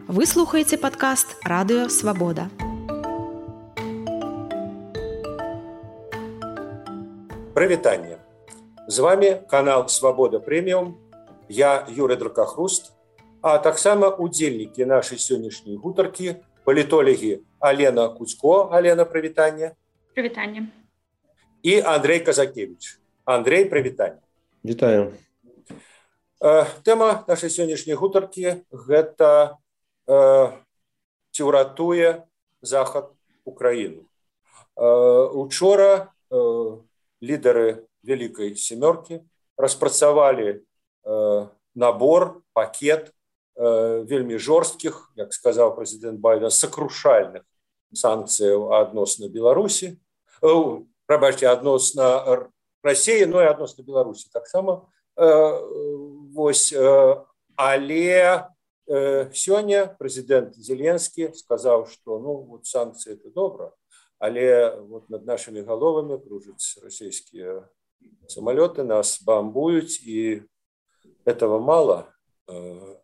Вы слухаеце падкаст Радыё Свабода. Прывітанне. З вами канал Свабода Прэміум. Я Юрый Дракахруст, а таксама удзельнікі нашай сённяшняй гутаркі, палітолагі Алена Куцько. Алена, прывітанне. Прывітанне. І Андрей Казакевич. Андрей, прывітанне. Вітаю. Тэма нашай сённяшняй гутаркі гэта ці ўратуе Захад Украіну. Учора лідары Вялікай Сямёркі распрацавалі набор, пакет вельмі жорсткіх, як сказаў прэзідэнт Байден, сакрушальных санкцыяў адносна Беларусі, адносна Расіі, но і адносна Беларусі таксама. Але сёння прэзідэнт Зеленскі сказаў, што санкцыі это добра, але над нашымі галовамі кружаць расійскія самалёты, нас бамбуюць, і этого мало.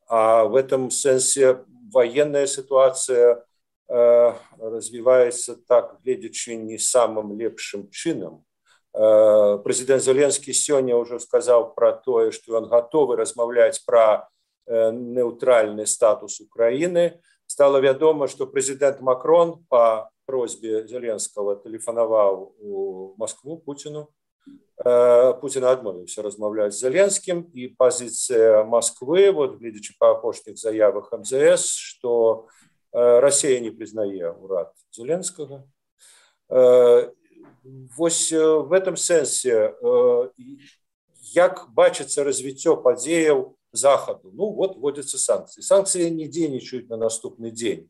А в этом сэнсе военная ситуация развивается так, гледзячы не самым лепшым чынам. Прэзідэнт Зеленскі сёння ўжо сказаў пра тое, што ён гатовы размаўляць пра нейтральны статус Украіны. Стало вядома, што прэзідэнт Макрон па просьбе Зеленскага тэлефанаваў у Москву Пуціну. Пуцін адмовіўся размаўляць з Зеленскім, і пазіцыя Москвы, гледзячы па апошніх заявах МЗС, што Расія не прызнае ўрад Зеленскага. В этом сэнсе, як бачыцца развіццё падзеяў Захаду? Вводзяцца санкцыі. Санкцыі не дзейнічаюць на наступны дзень,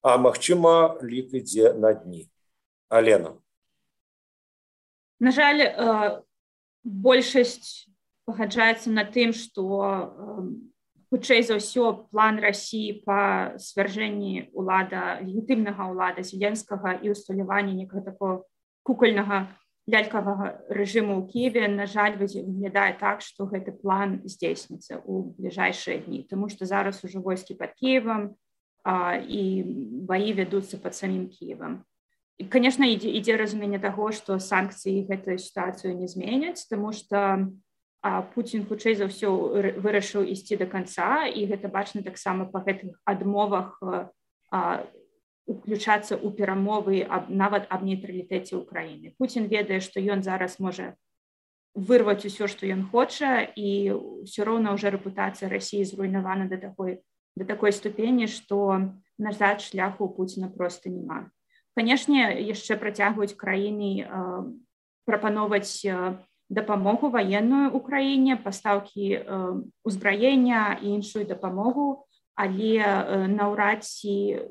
а магчыма, лік ідзе на дні. Алена. На жаль, большасць пагаджаецца на тым, што хутчэй за ўсё план Расіі па свяржэнні легітымнага ўлада Зеленскага і ўсталяванні некага такого кукольнага лялькавага рэжыму ў Кіеве, на жаль, выглядае так, што гэты план здзейсніцца ў бліжэйшыя дні, таму што зараз ужо войскі пад Кіевам і баі вядуцца пад самім Кіевам. І, конечно, ідзе разуменне таго, што санкцыі гэтую сітуацыю не зменяць, таму што Пуцін хутчэй за ўсё вырашыў ісці да канца, і гэта бачна таксама па гэтых адмовах уключацца ў перамовы нават аб нейтралітэце Украіны. Пуцін ведае, што ён зараз можа вырваць усё, што ён хоча, і ўсё роўна ўжо рэпутацыя Расіі зруйнавана да такой ступені, што назад шляху у Пуціна проста няма. Канешне, яшчэ працягваюць краіны прапановаць дапамогу ваенную Украіне, пастаўкі ўзбраення і іншую дапамогу, але наўрад ці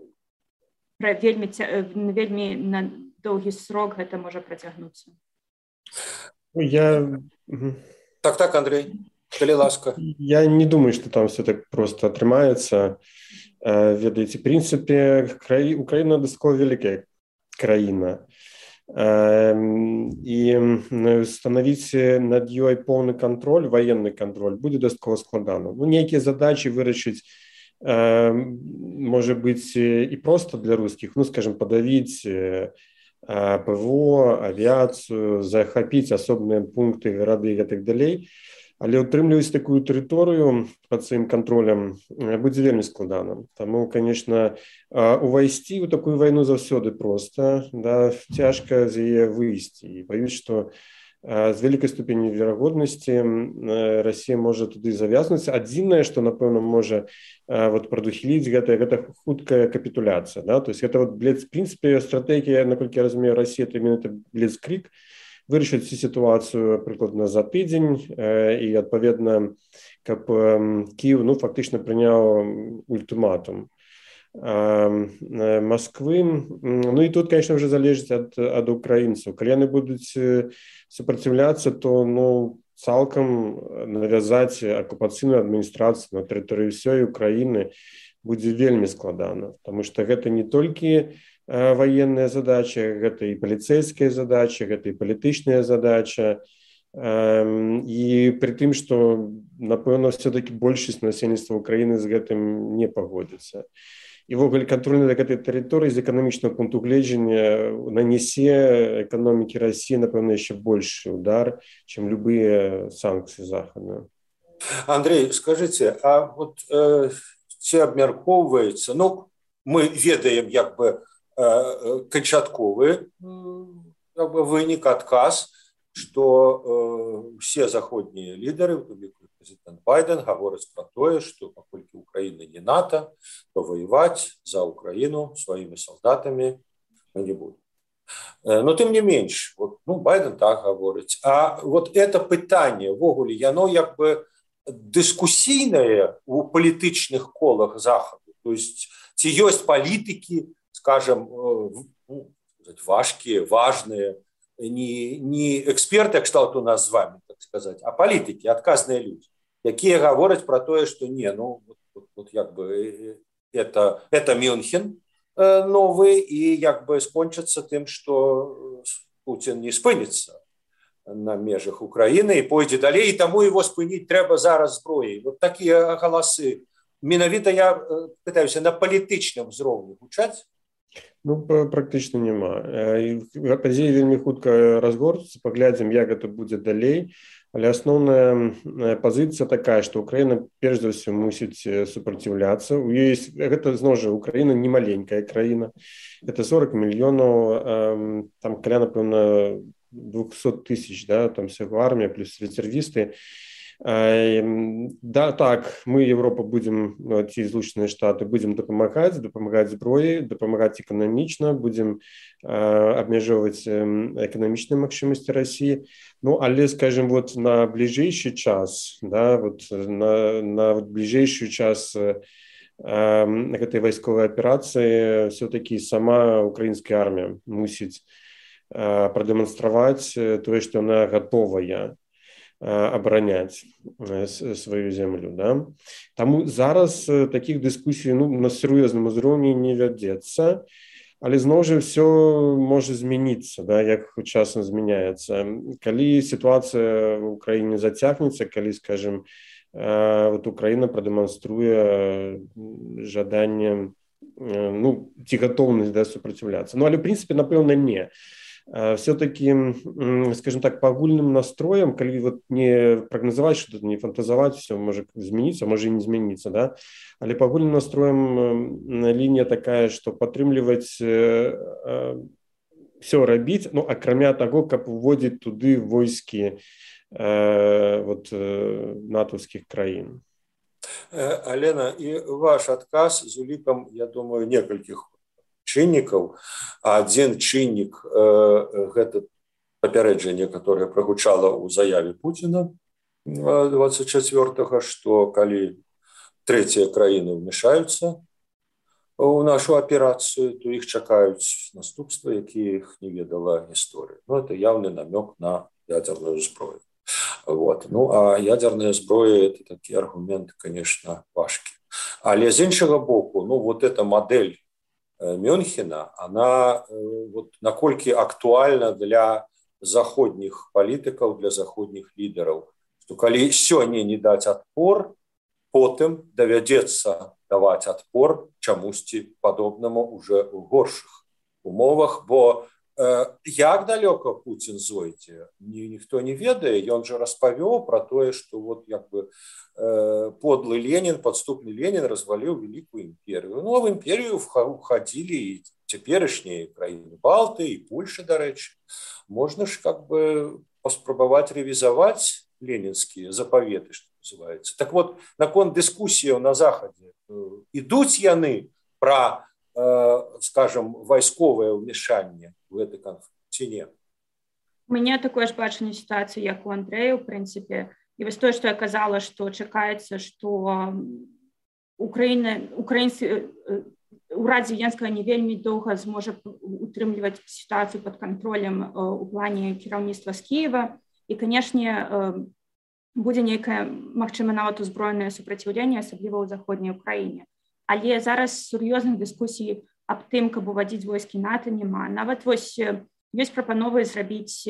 вельмі на доўгі срок гэта можа працягнуцца. Так, Андрей, калі ласка. Я не думаю, што там все так просто атрымаецца. Ведаеце, в прынцыпе, Украіна дастаткова вялікая краіна. І станавіць над ёй поўны кантроль, военны кантроль будзе дастаткова складана. Нейкія задачы вырашыць можа быць і проста для рускіх, скажем, падавіць ПВО, авіяцыю, захапіць асобныя пункты, гарады і гэтак далей, але ўтрымліваць такую тэрыторыю пад сваім кантролем будзе вельмі складана. Таму, конечно, увайсці ў такую вайну заўсёды проста, цяжка з яе выйсці. І баюсь, што з вялікай ступенню верагоднасці Расія можа туды завязнуць. Адзінае, што, напэўна, можа прадухіліць, гэта хуткая капітуляцыя. То есть гэта, в прынцыпе, стратэгія, наколькі я разумею, Расія, это именно бліцкрыг, вырашыць цю сітуацыю прыкладна за тыдзень, і, адпаведна, каб Кіев, фактычна прыняў ультыматум Москвы. І тут, конечно, уже залежыць ад украінцаў. Калі яны будуць супраціўляцца, то цалкам навязаць акупацыйную адміністрацыю на тэрыторыі ўсёй Украіны будзе вельмі складана, таму што гэта не толькі военная задача, гэта і паліцейская задача, гэта і палітычная задача, і пры тым, што напэўна все-таки большасць насельніцтва Украіны з гэтым не пагодзіцца. І ввогуле кантроль над гэтай тэрыторыі з эканамічнага пункту гледжання нанясе эканомікі Расіі, напэўна, яшчэ большы удар, чым любыя санкцыі Захаду. Андрей, скажите, а вот ці абмяркоўваецца, ну, мы ведаем як бы канчатковы как бы вынік, адказ, што все заходнія лідары, у тым ліку президент Байден, гавораць пра тое, што паколькі Украіна не НАТО, то воевать за Украину своими солдатами мы не будем. Но тым не менш, вот, ну, Байден так гаворыць. А вот это пытанне, ввогуле, яно як бы дискуссійнае у палітычных колах Захаду. То есть, ці ёсць палітыкі, скажем, ну, важкие, важные, не эксперты, кшталту нас с вами, так сказать, а политики, отказные люди, якія гавораць про тое, что не, ну, вот як бы это Мюнхен новый, и як бы скончится тем, что Путин не спынится на межах Украины и пойдет далее, и тому его спынить треба зараз зброей. Вот такие голосы. Менавіта я пытаюсь на палітычным узроўні гучаць. Ну, практычна няма. Падзеі вельмі хутка разгорнуцца, паглядзім, як гэта будзе далей. Але асноўная пазіцыя такая, што Украіна перш за ўсё мусіць супраціўляцца. Гэта, зноў жа, Украіна не маленькая краіна. Гэта 40 мільёнаў, там каля, напэўна, 200 тысяч, да, там всяго армія, плюс резервісты. Да, так, мы, Европа, будем, ці Злучаныя Штаты, будем дапамагаць зброяй, дапамагаць эканамічна, будем абмяжоўваць эканамічныя магчымасці Расіі. Ну, але, скажем, вот на бліжэйшы час, да, вот на бліжэйшы час гэтай вайсковай аперацыі все-таки сама украінская армія мусіць прадэманстраваць тое, што яна гатовая абараняць сваю землю. Да? Таму зараз такіх дыскусій на сур'ёзным узроўні не вядзецца, але зноў жа ўсё можа змяніцца, да, як часам змяняецца. Калі сітуацыя ў Украіне зацягнецца, калі, скажем, вот Украіна прадэманструе жаданне, ну, ці гатоўнасць, да, супраціўляцца. Ну, але, в прынцыпе, напэўна, не. Все-таки, скажем так, по агульным настроям, калі вот не прогнозовать что-то, не фантазовать, все может измениться, может и не измениться, да, але по агульным настроям линия такая, что падтрымліваць все рабіць, ну, акрамя того, каб уводзіць туды войскі вот натовскіх краін. Алена, и ваш адказ з улікам, я думаю, некалькіх чыннікаў. Адзін чыннік гэта папярэджанне, которое прагучала ў заяве Путина 24-го, што калі трэція краіны ўмешаюцца ў нашу аперацыю, то іх чакаюць наступствы, якія іх не ведала гісторыя. Ну, это явны намёк на ядерную зброю. Вот. Ну, а ядерная зброя – это такі аргумент, конечно, важкі. Але з іншага боку, ну, вот эта модель Мюнхена, она вот наколькі актуальна для заходніх палітыкаў, для заходніх лідараў, што калі сёння не даць адпор, потым давядзецца даваць адпор чамусьці падобнаму уже ў горшых умовах, бо як далёка Путін зойдзе, ніхто не ведае. Ён жа распавёў пра тое, што вот як бы подлый Ленин, подступный Ленин развалил великую империю. Ну, а в империю входили и цяперашнія краіны Балты, и Польша, до речи. Можно ж как бы поспробовать ревизовать ленинские заповеты, что называется. Так вот, наконт дискуссии на Заходе, идут яны про, скажем, войсковое вмешание в это конфликт, ці не? У меня такое ж бачанне ситуацыі, як у Андрэя, в прынцыпе. І вось тое, што я казала, што чакаецца, што урад Зеленскага не вельмі доўга зможа утрымліваць сітуацыю пад кантролем у плане кіраўніцтва з Кіева. І, канешне, будзе нейкае, магчыма, нават узброенае супраціўленне, асабліва ў заходняй Украіне. Але зараз сур'ёзных дыскусій аб тым, каб увадзіць войскі НАТО, няма. Нават вось ёсць прапановы зрабіць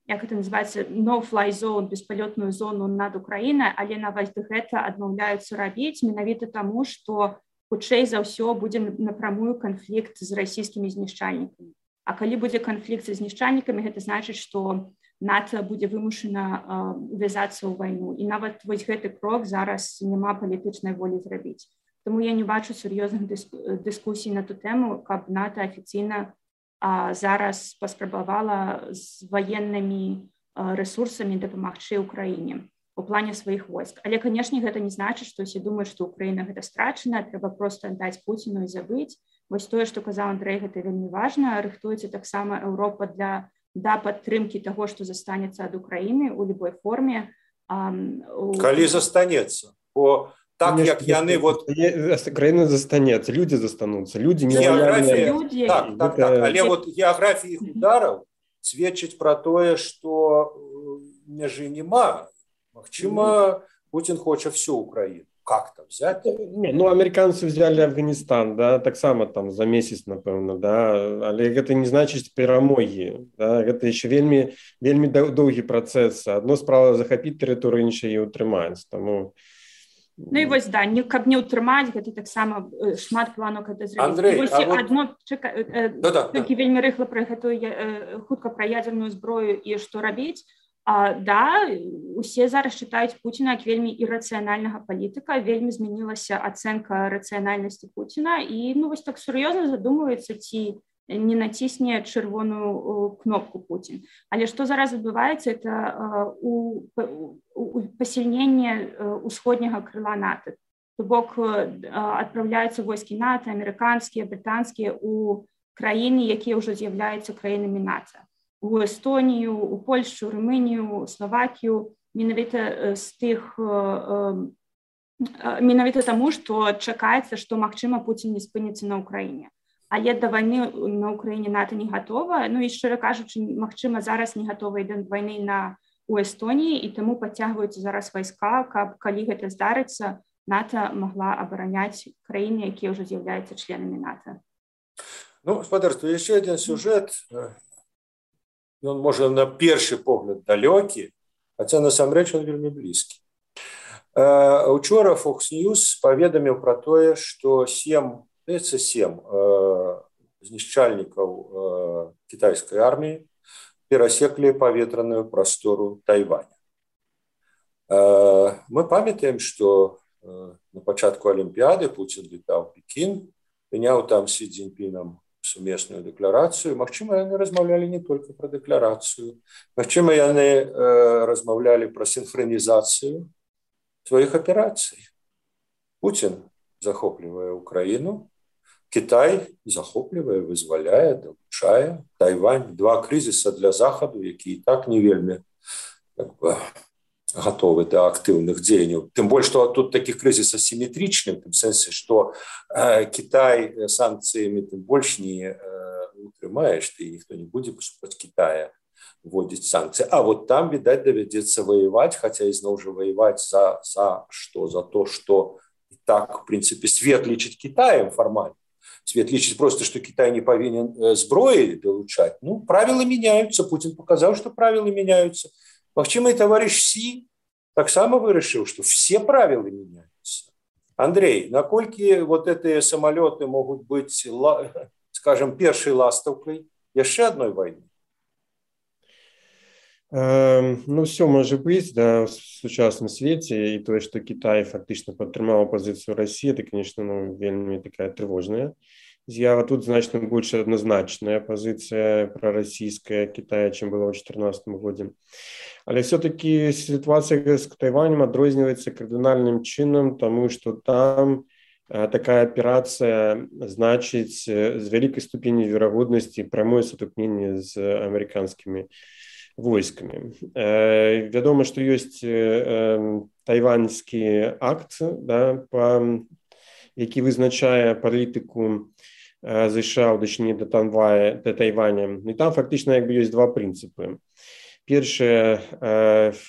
як это называется, no-fly zone, беспалётную зону над Украінай, але нават гэта адмаўляюцца рабіць менавіта таму, што хутчэй за ўсё будзе напрамую канфлікт з расійскімі знішчальнікамі. А калі будзе канфлікт з знішчальнікамі, гэта значыць, што НАТО будзе вымушана увязацца ў вайну. І нават вось гэты крок зараз няма палітычнай волі зрабіць. Таму я не бачу сур'ёзных дыскусій на ту тэму, каб НАТО афіцыйна зараз паспрабавала з ваеннымі рэсурсамі дапамагчы Украіне у плане сваіх войск. Але, канешне, гэта не значыць, што ўсе думаюць, што Украіна гэта страчана, трэба проста аддаць Пуціну і забыць. Вось тое, што казаў Андрэй, гэта вельмі важна. Рыхтуецца таксама Еўропа для падтрымкі таго, што застанецца ад Украіны ў любой форме. Калі застанецца, бо так, як яны... Краіна застанецца, людзі застануцца, людзі не лояльныя. Так, але вот геаграфія іх удараў сведчыць пра тое, што мяжы няма. Магчыма, Путін хоча всю Украіну. Как там взять? Ну, американцы взяли Афганистан, да, таксама там за месяц, напэўна, да, але гэта не значыць перамогі, да, гэта яшчэ вельмі доўгі працэс. Адно справа захапіць тэрыторыю, іншае і ўтрымаць, таму... Ну і вось, да, каб не ўтрымаць, гэта таксама шмат планаў гэта зрабіць. Андрэй, вось адно, толькі вельмі рыхла пра гэтую, хутка пра ядзерную зброю і што рабіць. Да, усе зараз чытаюць Пуціна як вельмі ірацыянальнага палітыка, вельмі змянілася ацэнка рацыянальнасці Пуціна і, ну, вось так сур'ёзна задумваецца, ці не націсне чырвоную кнопку Путін. Але што зараз адбываецца, это пасільненне усходняга крыла НАТО. То бок адпраўляюцца войскі НАТО, амерыканскія, брытанскія у краіны, якія ўжо з'яўляюцца краінамі НАТО. У Эстонію, у Польшу, Румынію, Словакію, менавіта з тых, менавіта таму, што чакаецца, што, магчыма, Пуцін не спыніцца на Украіне. Але да вайны на Украіне НАТО не гатова. Ну і, шчыра кажучы, магчыма, зараз не гатова і да вайны у Эстоніі, і таму падцягваюцца зараз вайска, каб, калі гэта здарыцца, НАТО магла абараняць краіны, якія ўжо з'яўляюцца членамі НАТО. Ну, спадарства, яшчэ адзін сюжэт. Ён, можа, на першы погляд далёкі, хаця насамрэч ён вельмі блізкі. Учора Fox News паведаміў пра тое, што 7 знішчальнікаў кітайскай арміі перасеклі паветраную прастору Тайваня. Мы памятаем, што на пачатку Алімпіяды Пуцін летаў у Пекін, прыняў там Сі Цзіньпінам сумесную дэкларацыю. Магчыма, яны размаўлялі не толькі пра дэкларацыю. Магчыма, яны размаўлялі пра сінхранізацыю сваіх аперацый. Пуцін захоплівае Украіну, Кітай захоплівае, вызваляе, далучае. Тайвань, два крызіса для Захаду, які і так не вельмі готовы да актыўных дзеянняў. Тым больш, што тут такі крызіс асіметрычны, в тым сэнсе, што Кітай санкцыямі тым больш не утрымаеш, ты ніхто не будзе супраць Кітая вводзіць санкцыі. А вот там, відаць, давядзецца ваяваць, хаця ізноў жа ваяваць за што? За то, што і так, в прынцыпе, свет лічыць Кітаем фармальна. Свет лічыць проста, што Кітай не павінен зброі далучаць. Ну, правілы мяняюцца. Путін паказаў, што правілы мяняюцца. Магчыма, і таварыш Сі таксама вырашыў, што все правілы мяняюцца. Андрей, наколькі вот гэтыя самалёты могуць быць, скажем, першай ластаўкай яшчэ адной вайны? Ну, все можа быць, да, в сучасным свеце, і тое, што Кітай фактычна падтрымаў пазіцыю Расіі, это, конечно, вельмі такая трывожная з'ява. Тут значна больш адназначная пазіцыя прарасійская Кітая, чым была ў 2014 годзе. Але все-таки ситуация с Тайванем адрозніваецца кардынальным чынам, тому што там такая аперацыя значыць з вялікай ступені верагоднасці прамое сутыкненне з амерыканскімі войскамі. Вядома, што ёсць тайваньскі акт, да, які вызначае палітыку США ў дачыненні да Тайваня. І там фактычна як бы ёсць два прынцыпы. Першае,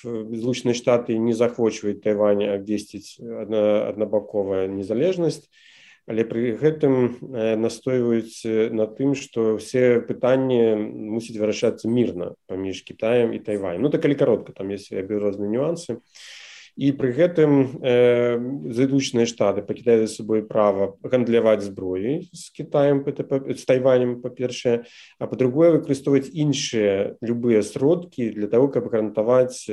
Злучаныя Штаты не захвочваюць Тайвань, абвесціць аднабаковая незалежнасць. але пры гэтым настойваюць на тым, што ўсе пытанні мусяць вырашацца мірна паміж Кітаем і Тайванем. Ну, так калі каротка, там ёсць розныя нюансы. І пры гэтым Злучаныя Штаты пакідаюць за сабой права гандляваць зброяй з Кітаем, з Тайванем, па-першае, а па-другое, выкарыстоўваць іншыя любыя сродкі для того, каб гарантаваць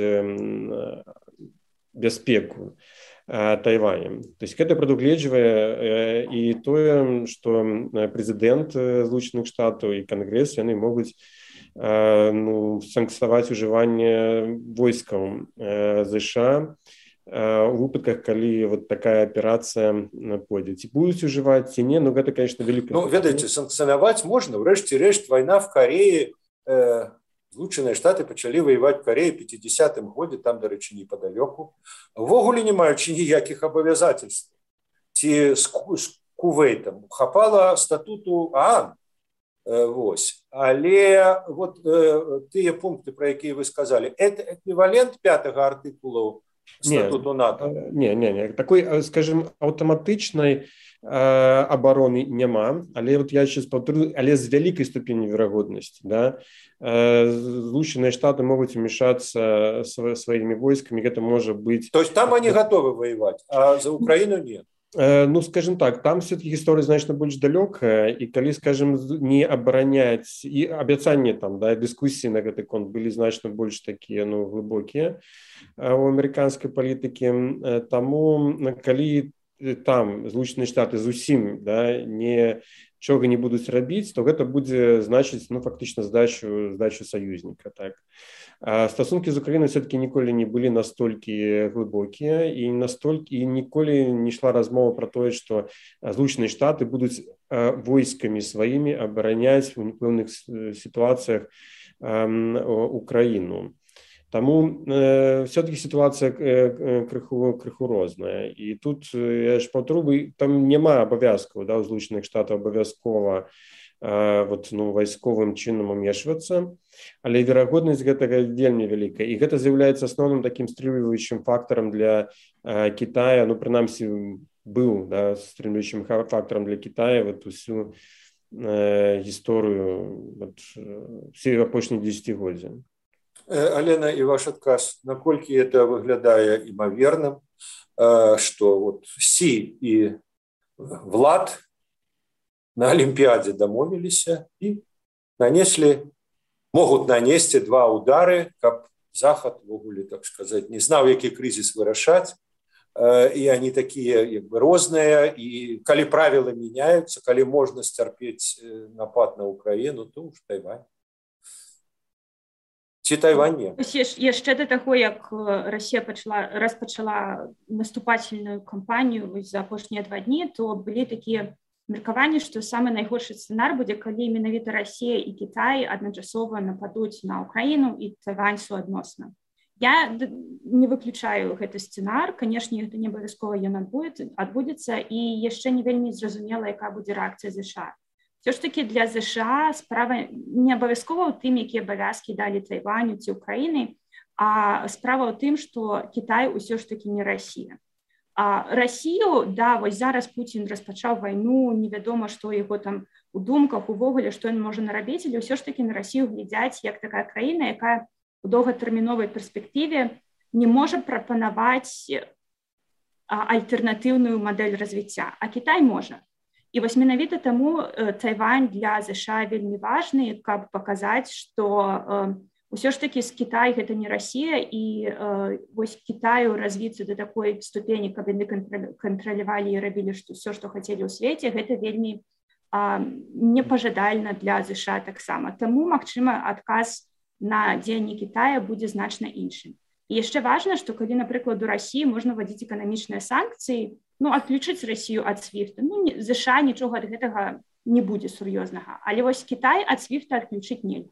бяспеку Тайванем. То есть гэта прадугледжвае і тое, што прэзідэнт Злучаных Штатаў і Кангрэс, яны могуць санкцыянаваць ужыванне войскаў ЗША у выпадках, калі вот такая аперацыя пойдзе. Ці будуць ужываць, ці не, ну гэта, конечно, вялікая... Ну, ведаеце, санкцыянаваць можна. Врэшце-рэшт, вайна в Кареі, Злучаныя Штаты пачалі ваяваць в Кареі ў 50-м годзе, там, дарэчы, непадалёку. Увогуле не маючы ніякіх абавязательств. Ці з Кувейтам хапала статуту ААН. Вось. Але вот тыя пункты, про якія вы сказалі, это эквівалент 5-го артыкулу статуту НАТО? Не. Такой, скажем, аўтаматычнай обороны няма, але вот я сейчас повторю, але з вялікай ступенню верагоднасці, да, Злучаныя Штаты могуць умешаться сваімі войскамі, гэта можа быць... То есть там они готовы воевать, а за Украину нет? Ну, скажем так, там все-таки гісторыя значна больш далёкая, і калі, скажем, не абараняць, і абяцанні там, да, дыскусіі на гэты конт былі значна больш такія, ну, глыбокія у амерыканскай палітыкі, таму калі там Злучаныя Штаты зусім, да, нічога не будуць рабіць, то гэта будзе значыць, ну, фактычна здачу саюзніка, так. А стасункі з Украінай все-таки ніколі не былі настолькі глыбокія, і ніколі не йшла размова про тое, што Злучаныя Штаты будуць войскамі сваімі абараняць у пэўных сітуацыях Украіну. Таму все-таки ситуация крыху розная. І тут, я ж паўторю, там няма абавязкаў, да, у Злучаных Штатаў абавязкова вот, ну, вайсковым чынам умешвацца, але верагоднасць гэтага вельмі вялікая. І гэта з'яўляецца асноўным такім стрымліваючым фактарам для Кітая, ну, прынамсі, быў, да, стрымліваючым фактарам для Кітая вот усю гісторыю вот, все апошніх дзесяцігоддзя. Алена, і ваш адказ, наколькі это выглядае імаверным, што вот Сі і Влад на Олімпіадзе дамовіліся і могуць нанесці два удары, каб Захад, вогуле, так сказаць, не знаў, які крызіс вырашаць, і они такія як бы розныя, і калі правілы мяняюцца, калі можна сцярпець напад на Украіну, то уж Тайвань. Ці Тайвань не? Яшчэ да таго, як Расія распачала наступательную кампанію за апошнія 2 дні, то былі такія меркаванні, што самы найгоршы сцэнар будзе, калі менавіта Расія і Кітай адначасова нападуць на Украіну і Тайвань суадносна. Я не выключаю гэты сцэнар, канешне, гэта не абавязкова ён адбудзецца, і яшчэ не вельмі зразумела, якая будзе рэакцыя ЗША. Все ж таки для ЗША справа не абавязкова ў тым, якія абавязкі далі Тайваню ці Украіны, а справа ў тым, што Кітай ўсё ж таки не Расія. А Расію, да, вось зараз Пуцін распачаў вайну, невядома, што яго там у думках, увогуле, што ён можа нарабіць, але ўсё ж таки на Расію глядзяць як такая краіна, якая у доўгатэрміновай перспектыве не можа прапанаваць альтэрнатыўную мадэль развіцця, а Кітай можа. І вось менавіта таму Тайвань для ЗША вельмі важны, каб паказаць, што ўсё ж такі з Кітай гэта не Расія, і вось Кітаю развіцца да такой ступені, каб яны кантралявалі і рабілі ўсё, што хацелі ў свеце, гэта вельмі непажадальна для ЗША таксама. Таму, магчыма, адказ на дзеянні Кітая будзе значна іншым. І яшчэ важна, што калі, напрыклад, у Расіі можна вводзіць эканамічныя санкцыі, ну, адключыць Расію ад SWIFT, ну, ЗША нічога ад гэтага не будзе сур'ёзнага. Але вось Кітай ад SWIFT адключыць нельга.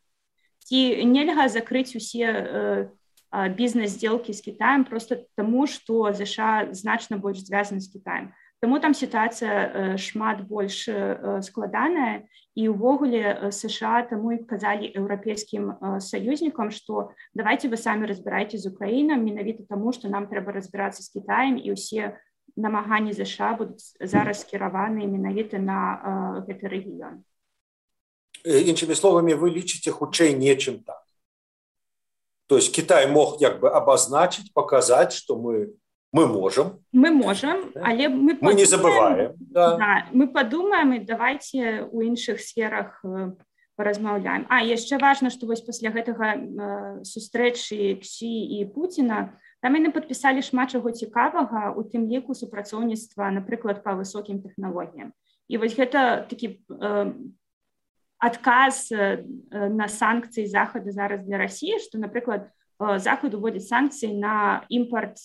Ці нельга закрыць усе бізнес-здзелкі з Кітаем проста таму, што ЗША значна больш звязаны з Кітаем. Таму там сітуацыя шмат больш складаная, і ўвогуле США таму і казалі еўрапейскім саюзнікам, што давайте вы самі разбірайце з Украінай, менавіта таму, што нам трэба разбірацца з Кітаем, і ўсе намаганні ЗША будуць зараз скіраваны менавіта на гэты рэгіён. Іншымі словамі, вы лічыце хутчэй нечым так. То есть Китай мог як бы обозначить, показать, что мы можем. Мы можем, але мы не забываем. Да, мы подумаем, и давайте у іншых сферах поразмаўляем. Яшчэ важна, што вось пасля гэтага сустрэчы Ксі і Пуціна там яны падпісалі шмат чаго цікавага, у тым ліку супрацоўніцтва, напрыклад, па высокім тэхналогіям. І вось гэта такі адказ на санкцыі Захаду зараз для Расіі, што, напрыклад, Захад уводзіць санкцыі на імпорт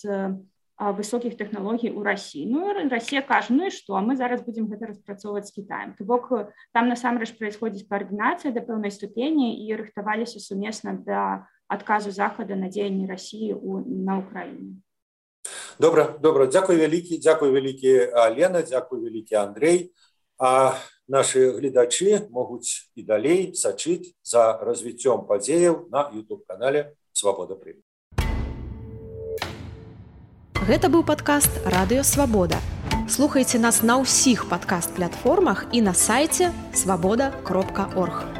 высокіх тэхналогій у Расіі. Расія кажа, і што, мы зараз будзем гэта распрацоўваць з Кітаем. То бок там насамрэч праисходзіць каардынацыя да пэўнай ступені і рыхтаваліся сумесна да адказу Захада на дзеянні Расіі на Ўкраіне. Добра. Дзякуй вялікі, Алена, дзякуй вялікі, Андрэй. Нашы гледачы могуць і далей сачыць за развіццём падзеяў на YouTube-канале «Свабода Прэміум». Гэта быў падкаст «Радыё Свабода». Слухайце нас на ўсіх падкаст-платформах і на сайце свабода.орг.